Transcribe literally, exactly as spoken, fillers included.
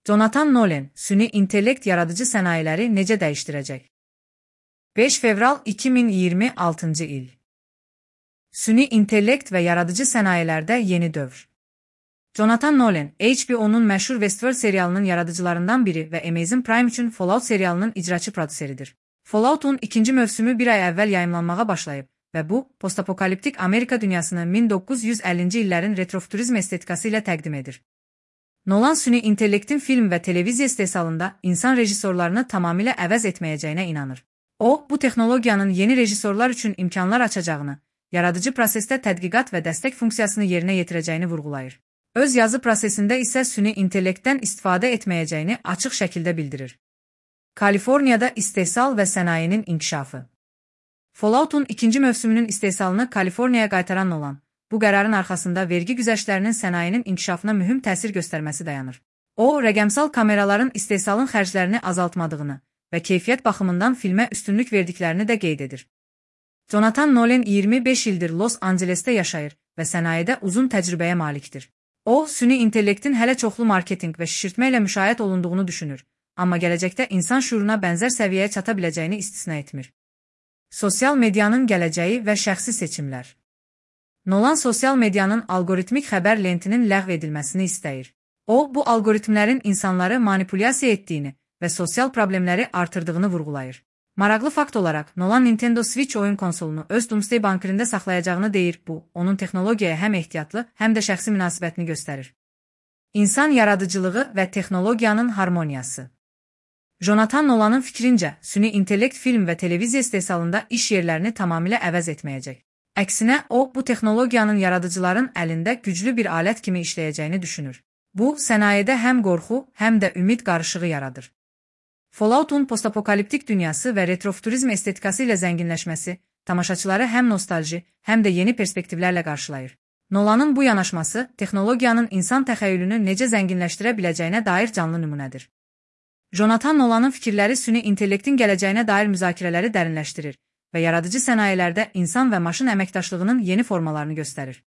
Jonathan Nolan, süni intellekt yaradıcı sənayeləri necə dəyişdirəcək? beş fevral iki min iyirmi altıncı il. Süni intellekt və yaradıcı sənayelərdə yeni dövr. Jonathan Nolan, H B O'nun məşhur Westworld serialının yaradıcılarından biri və Amazon Prime üçün Fallout serialının icraçı prodüseridir. Fallout'un ikinci mövsümü bir ay əvvəl yayımlanmağa başlayıb və bu, postapokaliptik Amerika dünyasını min doqquz yüz əllinci illərin retrofuturizm estetikası ilə təqdim edir. Nolan süni intellektin film və televiziya istehsalında insan rejissorlarını tamamilə əvəz etməyəcəyinə inanır. O, bu texnologiyanın yeni rejissorlar üçün imkanlar açacağını, yaradıcı prosesdə tədqiqat və dəstək funksiyasını yerinə yetirəcəyini vurğulayır. Öz yazı prosesində isə süni intellektdən istifadə etməyəcəyini açıq şəkildə bildirir. Kaliforniyada istehsal və sənayenin inkişafı. Fallout'un ikinci mövsümünün istehsalını Kaliforniyaya qaytaran Nolan, bu qərarın arxasında vergi güzəştlərinin sənayenin inkişafına mühüm təsir göstərməsi dayanır. O, rəqəmsal kameraların istehsalın xərclərini azaltmadığını və keyfiyyət baxımından filmə üstünlük verdiklərini də qeyd edir. Jonathan Nolan iyirmi beş ildir Los Angeles'te yaşayır və sənayedə uzun təcrübəyə malikdir. O, süni intellektin hələ çoxlu marketinq və şişirtmə ilə müşahiət olunduğunu düşünür, amma gələcəkdə insan şuuruna bənzər səviyyəyə çata biləcəyini istisna etmir. Sosial medianın gələcəyi və şəxsi seçimlər. Nolan sosial medianın algoritmik xəbər lentinin ləğv edilməsini istəyir. O, bu algoritmlərin insanları manipulyasiya etdiyini və sosial problemləri artırdığını vurğulayır. Maraqlı fakt olaraq, Nolan Nintendo Switch oyun konsolunu öz Doomsday bankerində saxlayacağını deyir, bu, onun texnologiyaya həm ehtiyatlı, həm də şəxsi münasibətini göstərir. İnsan yaradıcılığı və texnologiyanın harmoniyası. Jonathan Nolan'ın fikrincə, süni intellekt film və televiziya istehsalında iş yerlərini tamamilə əvəz etməyəcək. Əksinə, o, bu texnologiyanın yaradıcıların əlində güclü bir alət kimi işləyəcəyini düşünür. Bu, sənayedə həm qorxu, həm də ümid qarışığı yaradır. Fallout'un postapokaliptik dünyası və retrofuturizm estetikası ilə zənginləşməsi, tamaşaçıları həm nostalji, həm də yeni perspektivlərlə qarşılayır. Nolan'ın bu yanaşması, texnologiyanın insan təxəyyülünü necə zənginləşdirə biləcəyinə dair canlı nümunədir. Jonathan Nolan'ın fikirləri süni intellektin gələcəyinə dair müzakirələri dərinləşdirir və yaradıcı sənayelərdə insan və maşın əməkdaşlığının yeni formalarını göstərir.